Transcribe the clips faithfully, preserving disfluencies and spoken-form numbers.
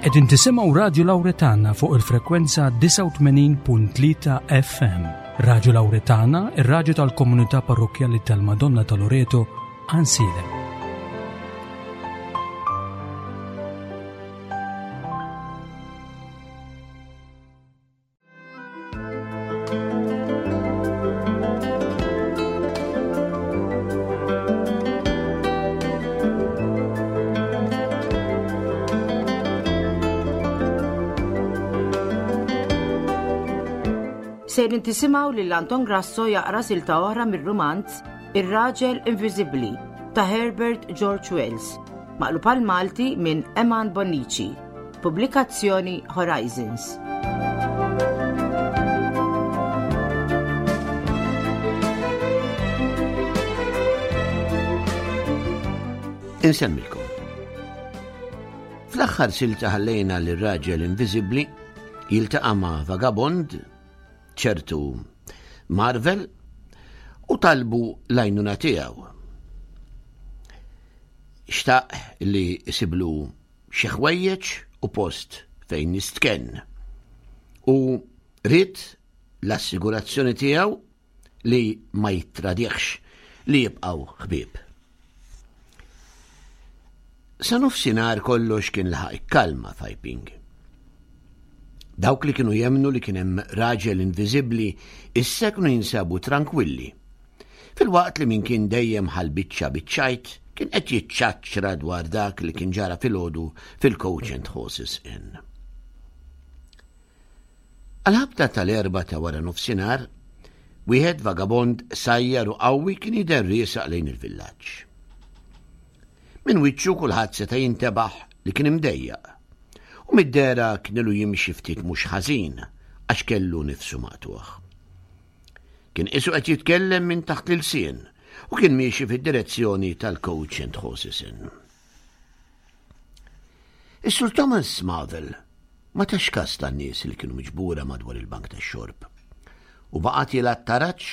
Qegħdin tisimgħu Radju Lawretana fuq il-frekwenza disgħa u tmenin punt tlieta F M. Radju Lawretana, ir-radju tal-Komunità Parrokkjali tal-Madonna ta' Loreto, Għajnsielem. Sejrin tisimgħu lil Anton Grasso jaqra silta oħra mir-rumanz Ir-Raġel Inviżibbli ta' Herbert George Wells, maqlub għal Malti minn Eman Bonnici. Pubblikazzjoni Horizons. Insemmilkom. Fl-aħħar silta ħallejna lir-raġel inviżibbli jiltaqa' ma' vagabond, ċertu Marvel, u talbu l-għajnuna tiegħu. Xtaq li jsiblu xi ħwejjeġ u post fejn jistkenn. U ried l-assigurazzjoni tiegħu li ma jittradihx, li jibqgħu ħbieb. Sa nofsinhar kollox kien laħaq ikkalma f'Iping. Dawk li kienu jemnu li kien hemm raġel inviżibbli issa kienu jinsabu tranquilli. Filwaqt li min kien dejjem ħal biċċa biċ-ċajt kien qed jiċċaċċra dwar dak li kien ġara filgħodu fil-Coach and Horses Inn. Għal-ħabta tal-erbgħa ta' wara nofsinhar, wieħed vagabond qsajjar u qawwi kien jidher riesaq lejn il-villaġġ. Min wiċċu kulħadd seta' jintebaħ li kien imdejjaq u mid-dehra kien ilu jimxi ftit mhux ħażin għax kellu nifsu maqtugħ. Kien qisu qed jitkellem minn taħt l-ilsien u kien miexi fid-direzzjoni tal-Coach and Horses Inn. Is-Sur Thomas Marvel ma tax kas tan-nies li kienu miġbura madwar il-bank tax-xorb u baqa' tiela' t-taraġ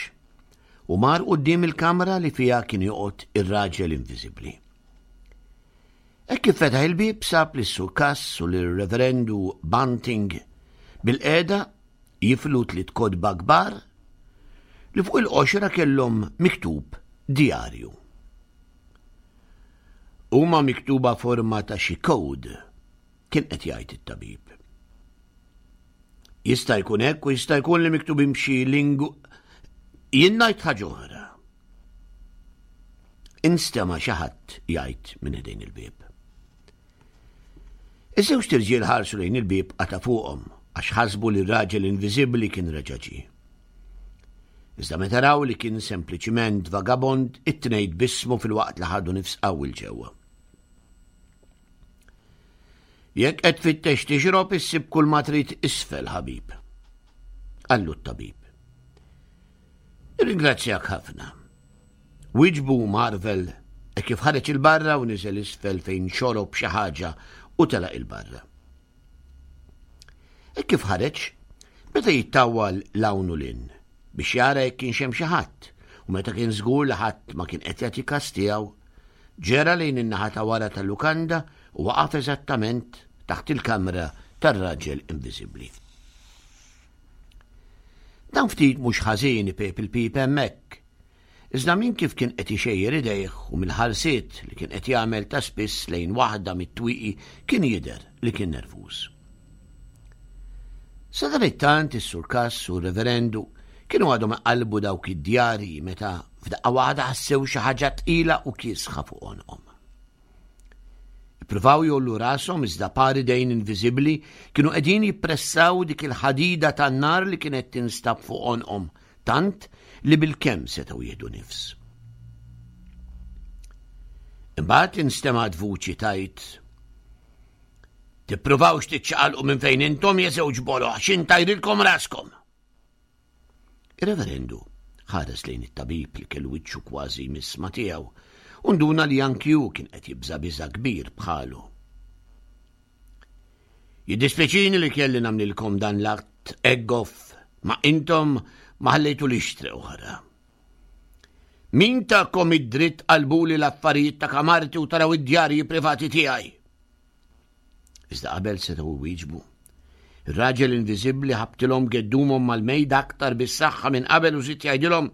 u mar quddiem il-kamra li fiha kien joqgħod ir-raġel inviżibbli. Hekk kif fetaħ il-bib, sab li Sur Cass u l-Reverendu Bunting bilqiegħda jiflu tliet kotba kbar li fuq il-qoxra kellhom miktub "djarju". "Huma miktuba forma ta' xi code," kien qed jgħid it-tabib. "Jista' jkun hekk u jista' jkun li miktubin b'xi lingu. Jien ngħid ħaġa oħra," instema' xi ħadd jgħid minn ħdejn il-bib. Iż-żewġt irġiel ħarsu lejn il-bib qata fuqhom għax ħasbu li r-raġel inviżibbli kien reġa' ġie. Iżda meta raw li kien sempliċiment vagabond, it-tnejn tbissmu filwaqt li ħadu nifs qawwi 'l ġewwa. "Jekk qed tfittex tixrob, issib kull ma trid isfel, ħabib," qallu t-tabib. "Ringrazzjak ħafna," wieġbu Marvel e kif ħareġ 'il barra u niżel isfel fejn xorob xi ħaġa u telaq 'il barra. E kif ħareġ, beda jittawwal 'l hawn u 'l hinn biex jara jekk kienx hemm xi ħadd, u meta kien żgur li ħadd ma kien qed jagħti kas tiegħu, ġera lejn in-naħa ta' wara tal-lukanda u waqaf eżattament taħt il-kamra tar-raġel inviżibbli. Dan ftit mhux ħażin ipejjep il-pipa hemmhekk. Iżda minn kif kien qed ixejjer idejh u mill-ħarsiet li kien qed jagħmel ta' spiss lejn waħda mit-twieqi kien jidher li kien nervuż. Sadanittant is-Sur Cass u r-Reverendu kienu għadhom qalbu dawk id-djarji meta f'daqqa waħda ħassew xi ħaġa tqila u kiesħa fuq għonqhom. Ippruvaw jgħollu rashom, iżda par idejn inviżibbli kienu qegħdin jippressaw dik il-ħadida tan-nar li kienet tinstab fuq għonqhom tant li bil-kemm setgħu jieħdu nifs. Imbagħad instemgħet vuċi tgħid: "Tippruvawx tiċċaqalqu minn fejn intom, ja żewġ boloh, xi ntajrilkom raskom." Ir-reverendu ħares lejn it-tabib li kellu wiċċu kważi jmiss ma' tiegħu u nduna li anki hu kien qed jibża biża kbir bħalu. "Jiddispjaċini li kelli nagħmlilkom dan l-att eggoff, ma intom ma ħallejtulix triq oħra. Min takom id-dritt tqallbuli l-affarijiet ta' kamarti u taraw id-djarji privati tiegħi?" Iżda qabel setgħu wieġbu, ir-raġel inviżibbli ħabtilhom geddumhom mal-mejda aktar bis-saħħa minn qabel u żied jgħidilhom,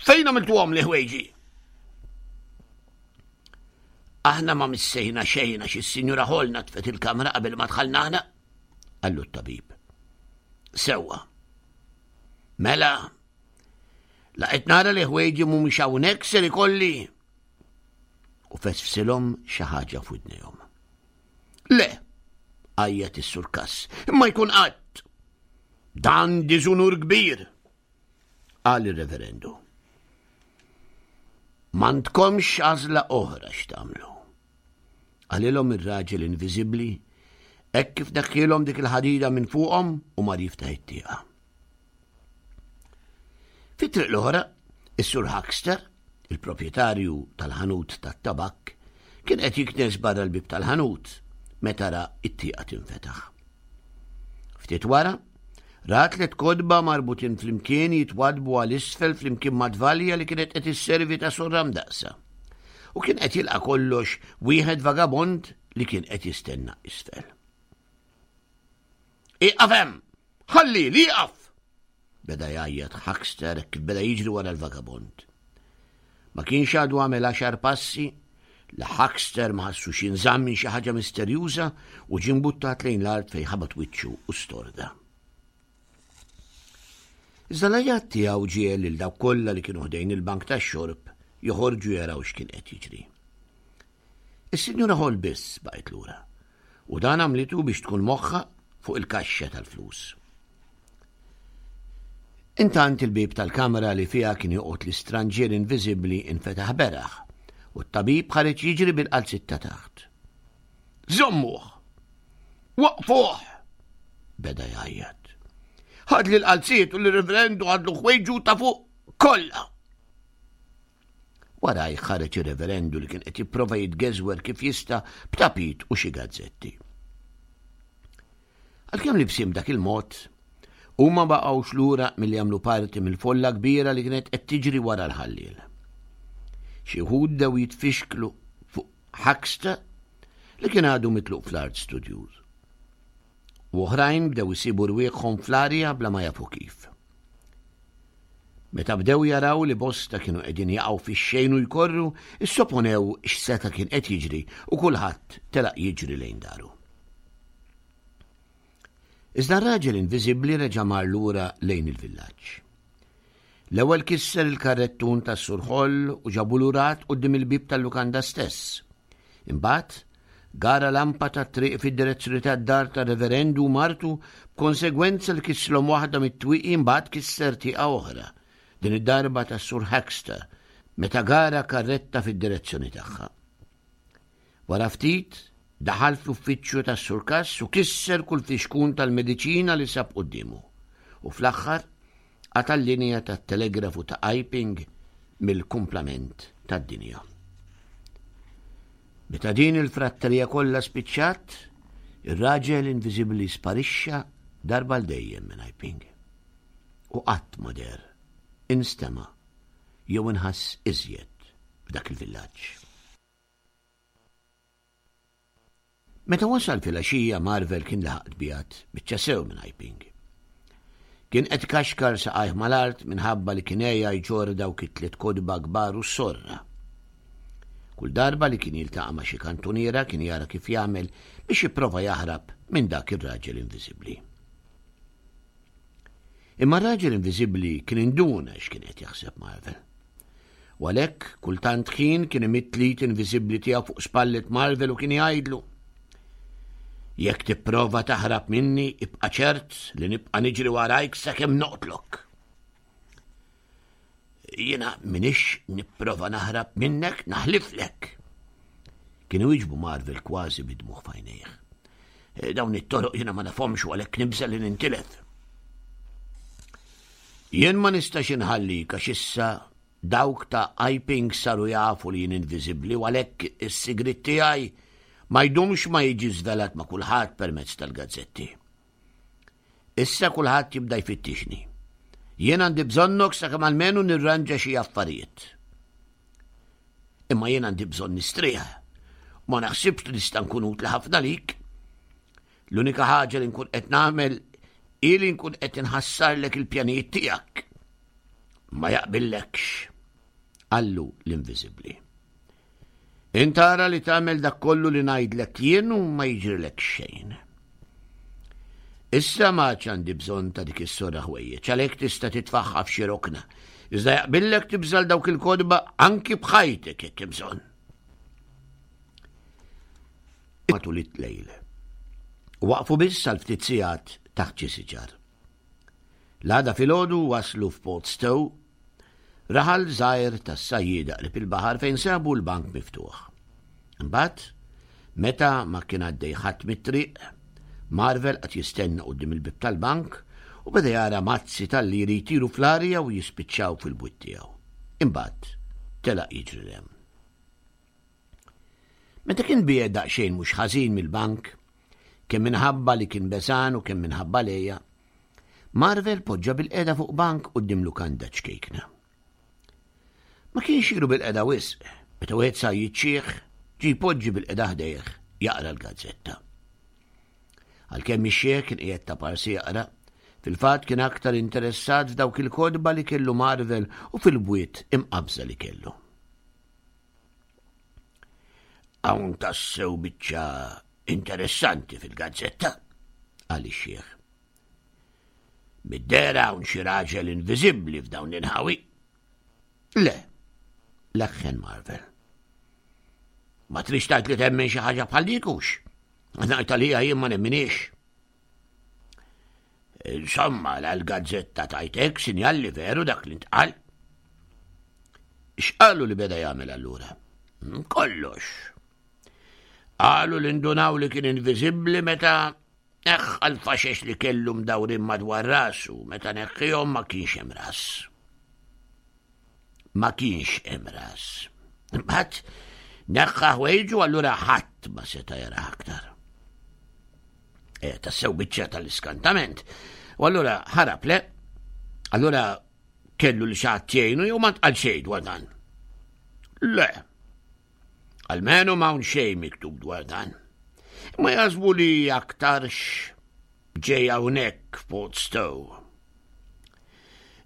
"Fejn għamiltuhom li ħwejġi?" "Aħna ma missejna xejn għax is-Sinjura Hall natfet il-kamra qabel ma dħalna aħna," qallu t-tabib. "Sewwa. Mela, la qed nara li ħwejġi mhumiex hawnhekk ser ikolli." U fesfsilhom xi ħaġa f'widnejhom. "Le," għajjat is-Sur Cass, "imma jkun qatt. Dan diżunur kbir," qal ir-reverendu. "M'għandkomx għażla oħra x'tagħmlu," qalilhom ir-raġel inviżibbli hekk kif neħħielhom dik il-ħadida minn fuqhom u mar jiftaħ it-tieqa. Fit-triq l-oħra, is-Sur Huckster, il-proprjetarju tal-ħanut tat-tabak, kien qed jiknes barra l-bib tal-ħanut meta ra it-tieqa tinfetaħ. Ftit wara, ra tliet kotba marbutin flimkien jitwadbu għal isfel flimkien ma' tvalja li kienet qed isservi ta' sorra mdaqsa. U kien qed jilqa' kollox wieħed vagabond li kien qed jistenna isfel. "Ieqaf hemm! Ħalli li jieqaf!" beda jgħajjat Huckster kif beda jiġri wara l-vagabond. Ma kienx għadu għamel għaxar passi li Huckster ma ħassux jinżamm minn xi ħaġa misterjuża u ġie mbuttat lejn l-art fejn ħabat wiċċu u storda. Iżda l-għajat tiegħu ġiegħel lil dawk kollha li kienu ħdejn il-bank tax-xorb joħorġu jaraw x'kien qed jiġri. Is-Sinjura Hall biss baqgħet lura u dan għamlitu biex tkun moħħa fuq il-kaxxa tal-flus. Intant il-bib tal-kamra li fiha kien joqgħod l-istranġier inviżibbli infetaħ beraħ u t-tabib ħareġ jiġri bil-qalzit ta' taħt. "Żommuh! Waqfuh!" beda jgħajjat. "Ħadli l-qalziet u l-reverendu ħadlu ħwejġu ta' fuq kollha." Waraj ħareġ ir-reverendu li kien qed jipprova jitgeżwer kif jista' b'tapit u xi gazzetti. Għalkemm libsin dak il-mod, huma baqgħux lura milli jagħmlu parti mill-folla kbira li kienet qed tiġri wara l-ħalliel. Xi wħud bdew jitfixklu fuq Huckster li kien għadu mitluq fl-art studjuż. U oħrajn bdew isibu rwieħhom fl-arja bla ma jafu kif. Meta bdew jaraw li bosta kienu qegħdin jaqgħu fix-xejn u jkorru, issoponew x'seta' kien qed jiġri u kulħadd telaq jiġri lejn daru. Iżda r-raġel inviżibbli reġa' mar lura lejn il-villaġġ. L-ewwel kisser il-karrettun tas-Sur Hall u ġabu lurat quddiem il-bib tal-lukanda stess. Imbagħad gara lampa tat-triq fid-direzzjoni tad-dar tar-reverendu u martu b'konsegwenza li kisslhom waħda mit-twieqi, imbagħad kisser tieqa oħra, din id-darba tas-Sur Huckster, meta gara karretta fid-direzzjoni tagħha. Wara ftit daħal fl-uffiċċju tas-Sur Cass u kisser kull fixkun tal-mediċina li sab quddiemu. U fl-aħħar qata' l-linja tat-telegrafu ta' Iping mill-kumplament tad-dinja. Meta din il-fratterija kollha spiċċat, ir-raġel inviżibbli sparixxa darba l dejjem minn Iping. U qatt ma deher, instema' jew inħass iżjed f'dak il-villaġġ. Meta wasal fil-għaxija Marvel kien laħaq tbiegħed biċċa sew minn Iping. Kien qed kaxkar saqajh mal-art minħabba li kien għeja jġorr dawk it-tliet kotba kbar u s-sorra. Kull darba li kien jiltaqa' ma' xi kantuniera kien jara kif jagħmel biex jipprova jaħrab minn dak ir-raġel inviżibbli. Imma r-raġel inviżibbli kien induna x'kien qed jaħseb Marvel. U għalhekk kultant ħin kien imidd l-id inviżibbli tiegħu fuq spallet Marvel u kien jgħidlu: "Jekk tipprova taħrab minni, ibqa' ċert li nibqa' niġri warajk sakemm noqtlok." "Jiena minix nipprova naħrab minnek, naħliflek," kien iwieġbu Marvel kważi bid-dmugħ f'għajnejh. "Dawn it-toroq jiena ma nafhomx u għalhekk nibża' li nintilef." "Jien ma nistax inħallik għax issa dawk ta' Iping saru jafu li jien inviżibbli u għalhekk is-sigriet tiegħi ma jdumx ma jiġi żvelat ma' kulħadd permezz tal-gazzetti. Issa kulħadd jibda jfittixni. Jien għandi bżonnok sakemm almenu nirranġa xi affarijiet. Imma jien għandi bżonn nistrieħ. Ma naħsibx li nista' nkun utli ħafna lik. L-unika ħaġa li nkun qed nagħmel hi li nkun qed inħassarlek il-pjanijiet tiegħek. Ma jaqbillekx, qallu l-Inviżibbli. Int ara li tagħmel dak kollu li ngħidlek jien u ma jiġrilek xejn. Issa ma għandi bżonn ta' dik is-sora ħwejjeġ, għalhekk tista' titfaħħa f'xi rokna. Iżda jaqbillek tibżal dawk il-kotba anki b'ħajtek jekk hemm bżonn. Matul it-lejl. Waqfu biss għal ftit sigħat taħt xi siġar. L-għada filgħodu waslu f'Port Stowe, raħal żgħir tas-sajjieda qrib il-baħar fejn sabu l-bank miftuħ. Imbagħad, meta ma kien għaddej ħadd mit-triq, Marvel qed jistenna quddiem il-bieb tal-bank u beda jara mazzi tal-liri jtiru fl-arja u jispiċċaw fil-bwiet tiegħu. Imbagħad telaq jiġri 'l hemm. Meta kien biegħed daqsxejn mhux ħażin mill-bank, kemm minħabba li kien beżan u kemm minħabba l-għeja, Marvel poġġa bilqiegħda fuq bank quddiem lukanda ċkejkna. Ma kienx ilu bilqiegħda wisq, meta wieħed sajjied xiħ ġie jpoġġi bilqiegħda ħdejh jaqra l-gazzetta. Għalkemm ix-xiħ kien qiegħed ta' parsi jaqra, fil-fatt kien aktar interessat f'dawk il-kotba li kellu Marvel u fil-bwiet imqabża li kellu. Hawn tassew biċċa interessanti fil-gazzetta, qal ix-xiħ. Mid-dehra hawn xi raġel inviżibbli f'dawn l-inħawi. Le, leħħen Marvel. Ma trix tgħid li temmen xi ħaġa bħal dik hux? Ngħid għalija jien ma nemminix. Insomma, la l-gazzetta tajtek sinjal li veru dak li ntqal. X'qalu li beda jagħmel allura? Kollox. Qalu li ndunaw li kien inviżibbli meta neħħa l-faxex li kellu mdawrin madwar rasu, meta neħħihom ma kienx hemm ras. Ma kienx hemm ras. Imbagħad neħħa ħwejġu allura ħadd ma seta' jara aktar. E, tassew biċċa tal-iskantament. U allura ħarab le. Allura kellu li xi ħadd jgħinu jew ma ntqal xejn dwar dan. Le. Almenu m'hawn xejn miktub dwar dan. Ma jaħsbu li aktarx ġej hawnhekk f'Port Stowe.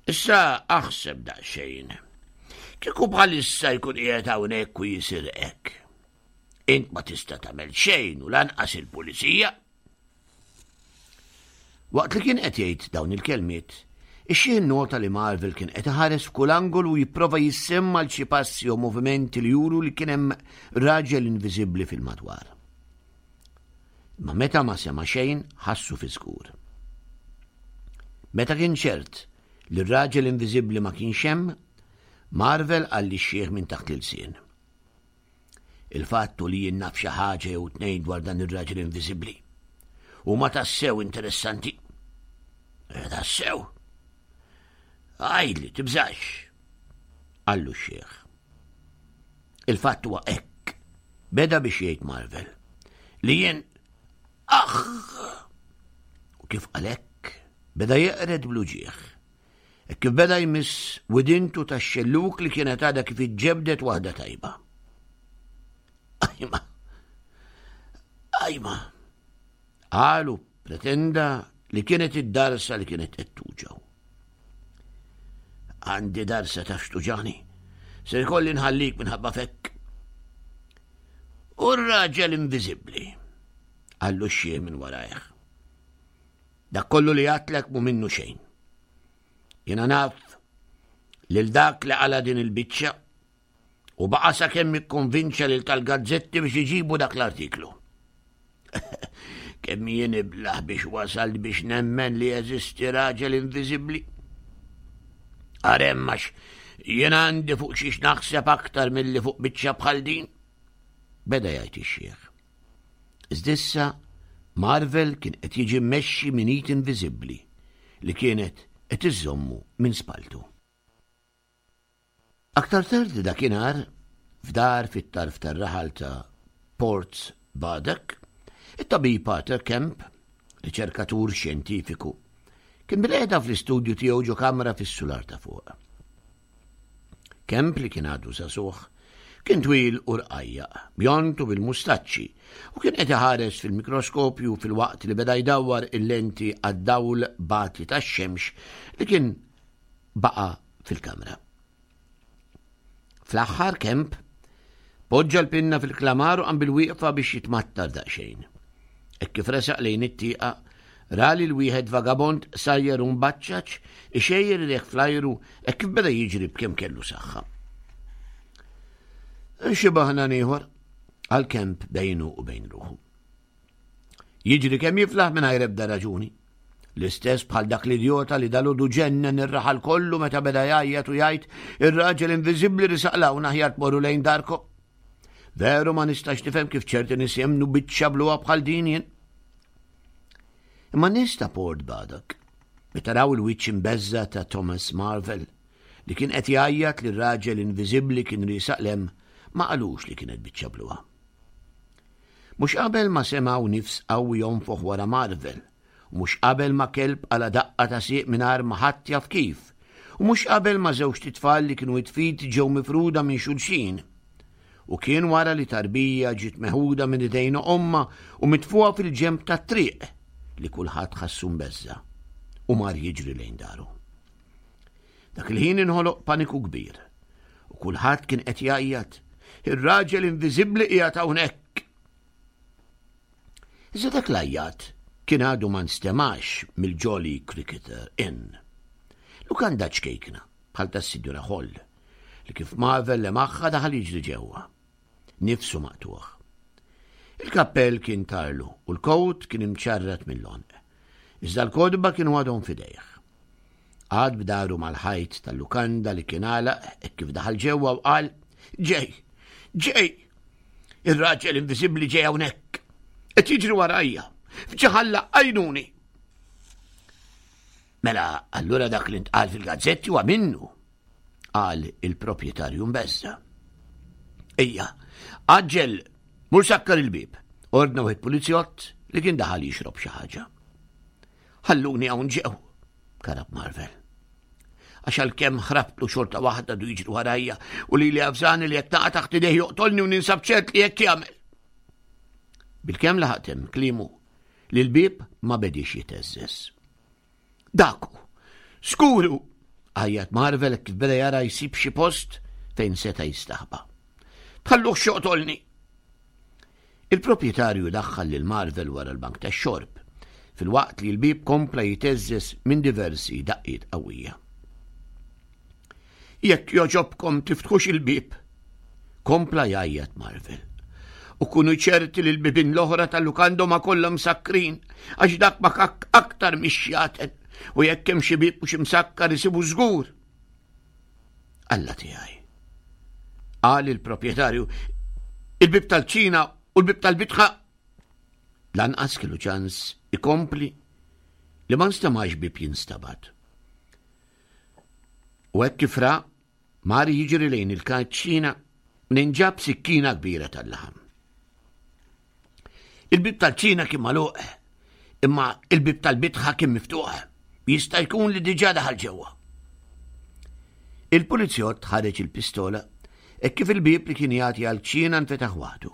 Issa aħseb daqsxejn. Kieku bħalissa jkun qiegħed hawnhekk u jisirqek. Int ma tista' tagħmel xejn u lanqas il-pulizija. Waqt li kien qed jgħid dawn il-kelmiet, ix-xiħ nota li Marvel kien qed iħares f'kull angolu u jipprova jissemma l xi passi u movimenti li juru li kien hemm raġel inviżibbli fil-madwar. Ma meta ma sema xejn, ħassu fi żgur. Meta kien ċert li r-raġel inviżibbli ma kienx hemm, Marvel qal lix-xiħ minn taħt l-ilsien. Il-fattu li jien naf xi ħaġa jew tnejn dwar dan ir-raġel inviżibbli. Huma tassew interessanti. Eh, tassew. Għidli, tibżax, qallu x-xiħ. Il-fatt huwa hekk, beda biex jgħid Marvel, li jien aħ! U kif qalek, beda jeqred bl-uġigħ. E kif beda jmiss widintu tax-xelluk li kienet għadha kif iġġebdet waħda tajba. Ajma! Ajma! Qalu pretenda li kienet id-darsa li kienet qed tuġgħu. Għandi darsa taf x'tuġani. Se jkolli nħallik minħabba fekk. U r-raġel inviżibbli, qallu x-xiħ minn warajh. Dak kollu li għatlek mu minnu xejn. Jiena naf lil dak li qala din il-biċċa u baqa' sakemm ikkonvinċa lil tal-gazzetti biex iġibu dak l-artiklu. Kemm jien iblaħ biex wasalt biex nemmen li jeżisti raġel inviżibbli. Arem għax jien għandi fuq xiex naħseb aktar milli fuq biċċa bħal din. Beda jgħid ix-xiħ. Iżda Marvel kien qed jiġi mmexxi minn id inviżibbli li kienet qed iżommu minn spaltu. Aktar tard dakinhar, f'dar fit-tarf tar-raħal ta' Port Badek, it-tabib Arthur Kemp, riċerkatur xjentifiku, kien bilqiegħda fl-istudju tiegħu ġo kamra fis-sular ta' fuq. Kemp li kien għadu żagħżugħ, Kien twil u rqajjaq, bjond u bil-mustaċċi, u kien qed iħares fil-mikroskopju filwaqt li beda jdawwar il-lenti għad-dawl bati tax-xemx li kien baqa' fil-kamra. Fl-aħħar Kemp poġġa l-pinna fil-klamar u qam bil-wieqfa biex jitmattar daqsxejn. Hekk kif resaq lejn it-tieqa, ra lil wieħed vagabond sajjer u mbaċċaċ ixejjer idejh fl-ajru hekk kif beda jiġri b'kemm kellu saħħa. Xi baħnan ieħor, qal Kemp bejnu u bejn ruħu. Jiġri kemm jiflaħ mingħajr ebda raġuni. L-istess bħal dak l-idjota li dalgħodu ġennen ir-raħal kollu meta beda jgħajjat u jgħid ir-raġel inviżibbli risaq 'l hawn, aħjar tmorru lejn darkom. Veru ma nistax nifhem kif ċerti nies jemmnu biċċa bluha bħal din jien. Imma nies ta' Port Baddock, meta raw il-wiċċ imbeżża' ta' Thomas Marvel li kien qed jgħajjat li r-raġel inviżibbli kien riesaq 'l hemm, ma qalux li kienet biċċa bluha. Mhux qabel ma semgħu nifs qawwi jonfoħ wara Marvel, u mhux qabel ma kelb qala' daqqa ta' sieq mingħajr ma ħadd jaf kif, u mhux qabel ma żewġt itfal li kienu id f'id ġew mifruda minn xulxin. U kien wara li tarbija ġiet meħuda minn idejn ommha u mitfugħa fil-ġenb tat-triq li kulħadd ħassu mbeżża' u mar jiġri lejn daru. Dak il-ħin inħoloq paniku kbir u kulħadd kien qed jgħajjat ir-raġel inviżibbli qiegħed hawnhekk. Iżda dak l-għajjat kien għadu ma nstemax mill-Jolly Cricketer Inn. Lukanda ċkejkna bħal tas-Sinjura Hall li kif Marvel lemaħha daħal jiġri ġewwa. Nifsu maqtugħ. Il-kappell kien tarlu u l-kowt kien imċarrat mill-għonq. Iżda l-kotba kienu għadhom f'idejh. Qagħad b'dahru mal-ħajt tal-lukanda li kien għalaq hekk kif daħal ġewwa u qal: "Ġej, ġej! Ir-raġel inviżibbli ġej hawnhekk. Qed jiġri warajja. F'ġieħ Alla, għinuni." Mela, allura dak li ntqal fil-gazzetti huwa minnu, qal il-proprjetarju mbeżża'. Ejja, għaġġel, mur sakkar il-bieb, ordna wieħed pulizjott li kien daħal jixrob xi ħaġa. Ħalluni hawn ġew, karab Marvel. Għax għalkemm ħrabtlu xorta waħda għadu jiġri warajja u lili avżani li jekk naqa' taħt idejh joqtolni u ninsab ċert li hekk jagħmel. Bilkemm laħaq temm kliemu li l-bieb ma bediex jiteżżeż. Dak hu! Żgur hu! Għajjat Marvel kif beda jara jsib xi post fejn seta' jistaħba. Tħalluhx joqtolni! Il-proprjetarju daħħal lil Marvel wara l-bank tax-xorb, filwaqt li l-bieb kompla jiteżżeż minn diversi daqqiet qawwija. Jekk jogħġobkom tiftħux il-bieb, kompla jgħajjat Marvel. U kunu ċerti li l-bibien l-oħra tal-lukanda huma kollha msakkrin, għax dak makakk aktar mix-xjaten, u jekk hemm xi bieb mhux imsakkar isibu żgur. Alla tiegħi. Qal il-proprjetarju, il-bieb tal-kċina u l-bieb tal-bitħa. Lanqas kellu ċans ikompli li ma nstemax bieb jinstabat. U hekk kif ra, mar jiġri lejn il-kċina minn ġab sikkina kbira tal-laħam. Il-bieb tal-kċina kien magħluq, imma il-bieb tal-bitħa kien miftuħ. Jista' jkun li diġà daħal ġewwa. Il-pulizjott ħareġ il-pistola hekk kif il-bieb li kien jagħti għall-kċina nfetaħ waħdu.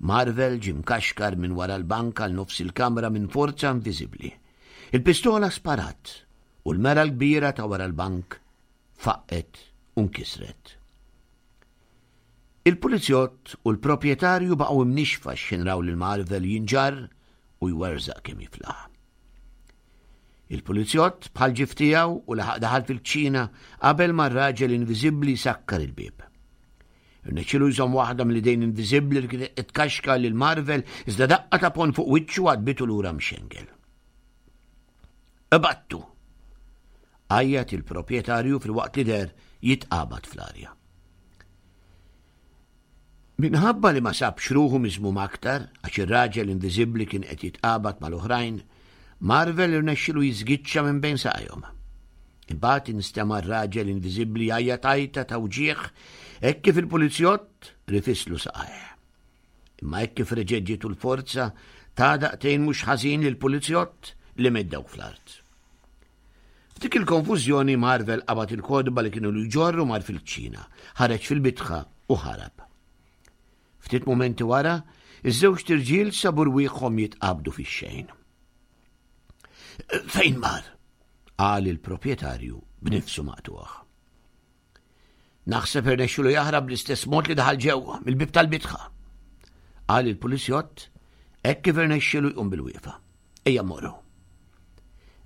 Marvel ġie mkaxkar minn wara l-bank għal nofs il-kamra minn forza inviżibbli. Il-pistola sparat u l-mera l-kbira ta' wara l-bank faqqgħet u nkisret. Il-pulizjott u l-proprjetarju baqgħu imnixfa x'ħin raw lil Marvel jinġarr u jwerżaq kemm jiflaħ. Il-pulizjott bħal ġif tiegħu u laħaq daħal fil-kċina qabel ma r-raġel inviżibbli sakkar il-bieb. Irnexxielu jżomm waħda mill-idejn inviżibbli li kienet qed tkaxkar lil Marvel iżda daqqa ta' ponn fuq wiċċu għadbitu lura mxengel. Ibattu! Għajjat il-proprjetarju filwaqt li deher jitqabad fl-arja. Minħabba li ma sabx ruħu miżmum aktar għax ir-raġel inviżibbli kien qed jitqabad mal-oħrajn, Marvel irnexxielu jiżgiċċa minn bejn saqajhom. Imbagħad instema' r-raġel inviżibbli jgħajjat għajta ta' wġigħ hekk kif il-pulizjott rifislu saqajh. Imma hekk kif reġgħet ġietu l-forza ta daqtejn mhux ħażin lill-pulizjott li meddgħu fl-art. F'dik il-konfużjoni Marvel qabad il-kotba li kienu jġorru mar fil-kċina, ħareġ fil-bitħa u ħarab. Ftit mumenti wara, iż-żewġt irġiel sabu rwieħhom jitqabdu fix-xejn. Fejn mar? Qal il-proprjetarju b'nifsu maqtugħ. Naħseb irnexxielu jaħrab bl-istess mod li daħal ġewwa mill-bib tal-bitħa. Qal il-pulizjott hekk kif irnexxielu jqum bil-wieqfa. Ejja mmorru.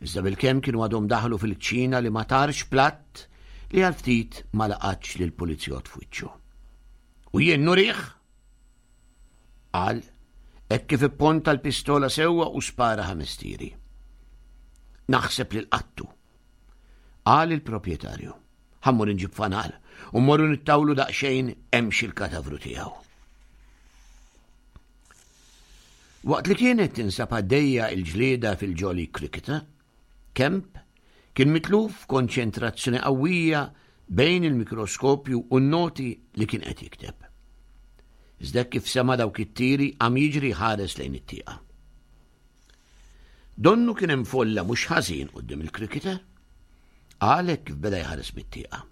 Iżda bilkemm kienu għadhom daħlu fil-kċina li ma tarx platt li għal ftit ma laqatx lil pulizjott f'wiċċu. U jien nurih? Qal hekk kif ipponta l-pistola sewwa u spara ħames tiri. Naħseb li l-qattu. Qal il-proprjetarju. Ħa mmur inġib fanal u mmorru nittawlu daqsxejn hemm il-katavru tiegħu. Waqt li kienet tinsab għaddejja il-ġlieda fil-Jolly Cricketer, Kemp kien mitluf konċentrazzjoni qawwija bejn il-mikroskopju u n-noti li kien qed jikteb. Iżda kif sema dawk it-tiri qam jiġri ħares lejn it-tieqa. Donnu kien hemm folla mhux ħażin quddiem il-cricketer. Għalhekk kif beda jħares mit-tieqa.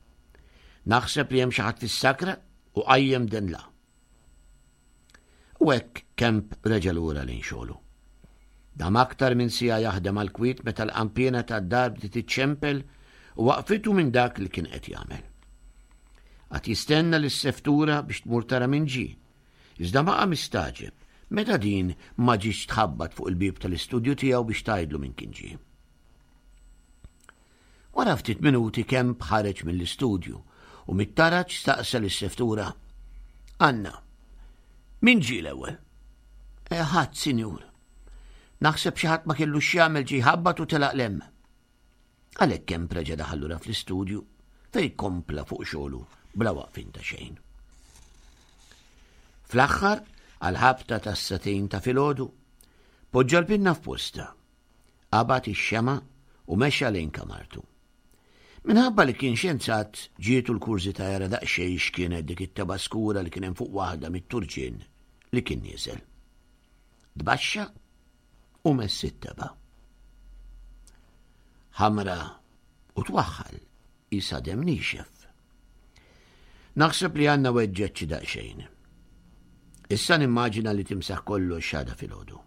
Naħseb li hemm xi ħadd fis-sakra u qajjem denla. U hekk Kemp reġa' lura lejn xogħlu. Dam aktar minn siegħa jaħdem għal kwiet meta l-qanpiena tad-dar bdiet iċċempel u waqfitu minn dak li kien qed jagħmel. Qagħad jistenna lis-seftura biex tmur tara min ġie. Iżda baqa' mistagħġeb meta din ma ġietx tħabbat fuq il-bieb tal-istudju tiegħu biex tgħidlu min kien ġie. Wara ftit minuti Kemp ħareġ mill-istudju u mit-taraġ staqsa lis-seftura. Anna, min ġie l-ewwel? E, ħadd, sinjur. Naħseb xi ħadd ma kellu x'jagħmel ġie ħabbat u telaq 'l hemm. Għalhekk Kemp reġa' daħal lura fl-istudju fejn kompla fuq xogħlu bla waqfin ta' xejn. Fl-aħħar, għal-ħabta tas-sagħtejn ta' filgħodu, poġġa l-pinna f'posta, qabad ix-xema u mexa lejn kamartu. Minħabba li kien xjenzat ġietu l-kurżità jara daqsxejn x'kienet dik it-teba skura li kien hemm fuq waħda mit-turġien li kien nieżel. Tbaxxa u mess it-teba. Ħamra u twaħħal qisha demm niexef. Naħseb li għandna weġġgħet xi daqsxejn. Issa nimmaġina li timsaħ kollox għada filgħodu.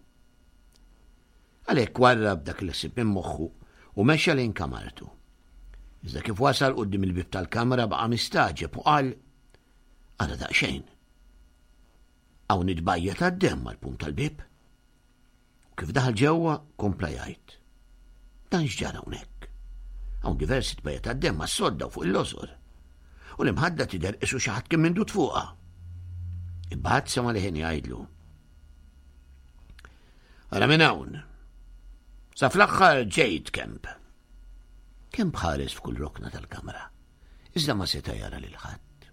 Għalhekk warrab dak il-ħsieb minn moħħu u mexa lejn kamartu. Iżda kif wasal quddiem il-bib tal-kamra baqa' mistagħġeb u qal ara daqsxejn. Hawn it-tbajja tad-demm mal-punt tal-bib. U kif daħal ġewwa kompla jgħid. Dan x'ġara hawnhekk? Hawn diversi tbajja tad-demm mas-sodda u fuq il-lożor. U l-imħadda tidher qisu xi ħadd kien mindud fuqha. Imbagħad sema' leħen jgħidlu. Ara minn hawn. Sa fl-aħħar ġejt Kemp. Kemp ħares f'kull rokna tal-kamra. Iżda ma seta' jara lil ħadd.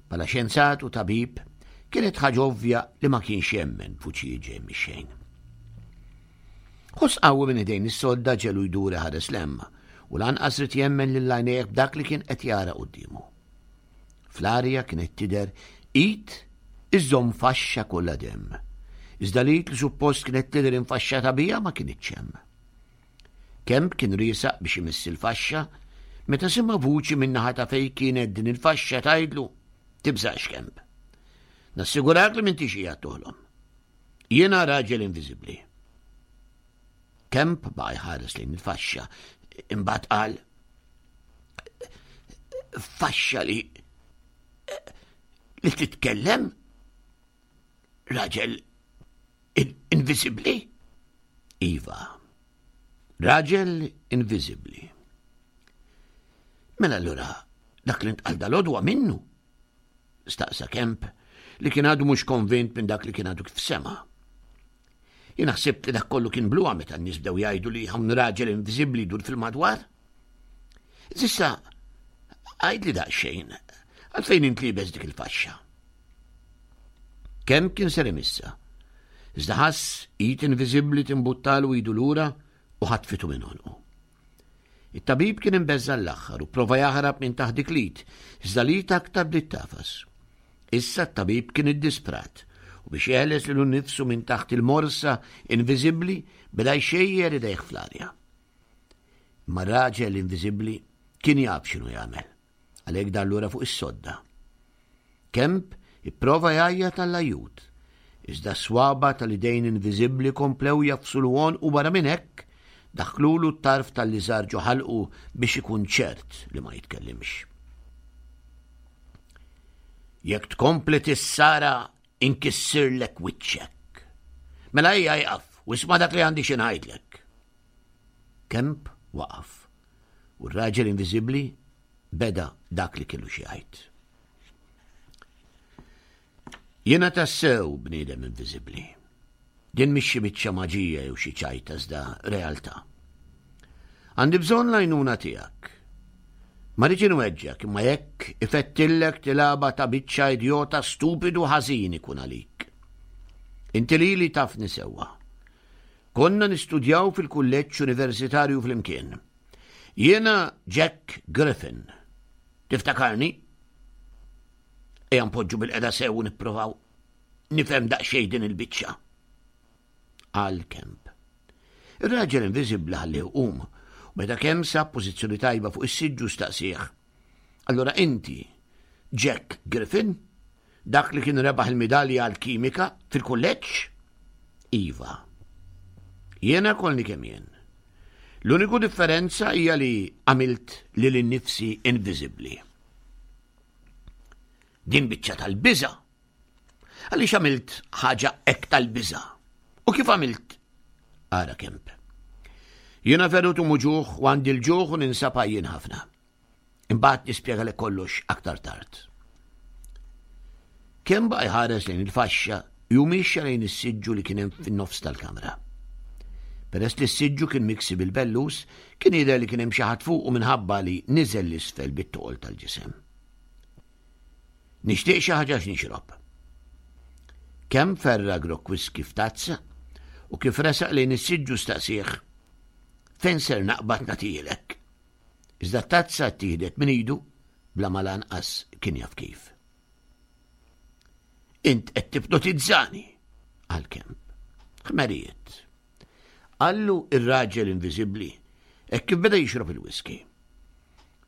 Bħala xjenzat u tabib, kienet ħaġa ovvja li ma kienx jemmen f'vuċijiet ġej mix-xejn. Ħoss qawwi minn idejn is-sodda ġelu jdur ħares 'l hemm u lanqas ried jemmen lil għajnejh b'dak li kien qed jara quddiemu. Fl-arja kienet tidher id iżżomm faxxa kollha demm. Iżda l-id li suppost kienet tidher infaxxata biha ma kinitx hemm. Kemp kien riesaq biex imiss il-faxxa meta sema' vuċi min-naħa ta' fejn kienet din il-faxxa tgħidlu tibżax Kemp. Nassigurak li m'intix qiegħed toħlom. Jiena raġel inviżibbli. Kemp baqa' jħares lejn il-faxxa, imbagħad qal faxxa li li titkellem? Raġel inviżibbli? Iva, raġel inviżibbli. Mela allura dak li ntqal dalgħodu minnu? Staqsa Kemp li kien għadu mhux konvint minn dak li kien għadu kif sema. Jien ħsibt li dak kollu kien bluha meta n-nies bdew jgħidu li hawn raġel inviżibbli jdur fil-madwar. S'issa, għidli daqsxejn, għalfejn int liebes dik il-faxxa? Kemp kien ser imissa. Iżda ħass id inviżibbli timbuttalu idu lura u ħatfitu minn għonqu. It-tabib kien imbeżża' l-aħħar u prova jaħrab minn taħt dik l-id, iżda l-id aktar bdiet tafas. Issa t-tabib kien iddisprat u biex jeħles lilu nnifsu minn taħt il-morsa inviżibbli beda jxejjer idejh fl-arja. Imma r-raġel inviżibbli kien jaf x'inhu jagħmel, għalhekk dar lura fuq is-sodda. Kemp ipprova jgħajjat għall-ajjut. Iżda s-swaba tal-idejn inviżibbli komplew jagħfsulu għonqu, barra minn hekk daħklulu t-tarf tal-liżar ġo ħalqu biex ikun ċert li ma jitkellimx. Jekk tkompli tissara inkissirlek wiċċek. Mela ejja ieqaf u isma' dak li għandi xi ngħidlek. Kemp waqaf u r-raġel inviżibbli beda dak li kellu xi jgħid. Jiena tassew bniedem inviżibbli. Din mhix xi biċċa maġija jew xi ċajta iżda realtà. Għandi bżonn l-għajnuna tiegħek. Ma rridx inweġġgħek, imma jekk ifettillek tilgħabha ta' biċċa idjota stupidu ħażin ikun għalik. Inti lili tafni sewwa. Konna nistudjaw fil-kulleġġ universitarju flimkien. Jiena Jack Griffin. Tiftakarni? Ejja npoġġu bilqiegħda sew u nipprovaw nifhem daqsxejn din il-biċċa. Qal Kemp. Ir-raġel inviżibbli ħallih iqum u meta Kemp sab pożizzjoni tajba fuq is-siġġu staqsieh. Allura inti Jack Griffin, dak li kien rebaħ il-midalja għal-kimika fil-kulleġġ? Iva. Jiena kollni kemm jien. L-uniku differenza hija li għamilt lili nnifsi inviżibbli. Din biċċa tal-biża'. Għaliex għamilt ħaġa hekk tal-biża'? U kif għamilt? Ara Kemp. Jiena ferut u muġugħ u għandi l-ġuħ u ninsab għajjien ħafna. Imbagħad nispjegalek kollox aktar tard. Kemp baqa' jħares lejn il-faxxa u mexxa lejn is-siġġu li kien hemm fin-nofs tal-kamra. Peress li s-siġġu kien miksi bil-bellus, kien jidher li kien hemm xi ħadd fuqu minħabba li niżel 'l isfel bit-toqol tal-ġisem. Nixtieq xi ħaġa x'nixrob. Kemp ferra' grokk whisky f'tazza u kif resaq lejn is-siġġu staqsieh. Fejn ser naqbad nagħtihielek? Iżda t-tazza ttieħdet minn idu bla ma lanqas kien jaf kif. Int qed tipnotizzani, qal Kemp. Ħmerijiet. Qallu ir-raġel inviżibbli hekk kif beda jixrob il-whisky.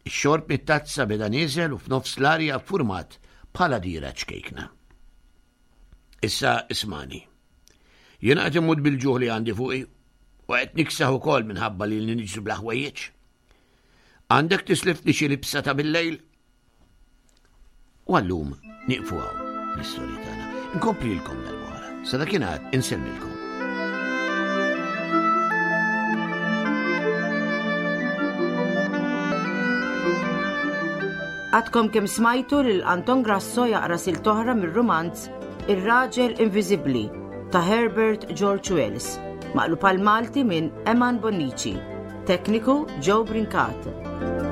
Ix-xorb mit-tazza beda nieżel u f'nofs l-arja ffurmat bħala dira ċkejkna. Issa ismagħni. Jiena qed immut bil-ġuħ li għandi fuqi u qed niksaħ ukoll minħabba li niġru bla ħwejjeġ. Għandek tislifni xi libsa ta' bil-lejl? U għallum nieqfu hawn l-istorja tagħna. Inkomplilkom darb'oħra. Sa dakinhar insellmilkom. Għadkom kemm smajtu lil Anton Grasso jaqra silta oħra mir-rumanz Ir-Raġel Inviżibbli ta' Herbert George Wells, maqlub għal Malti minn Eman Bonnici. Tekniku Joe Brincat.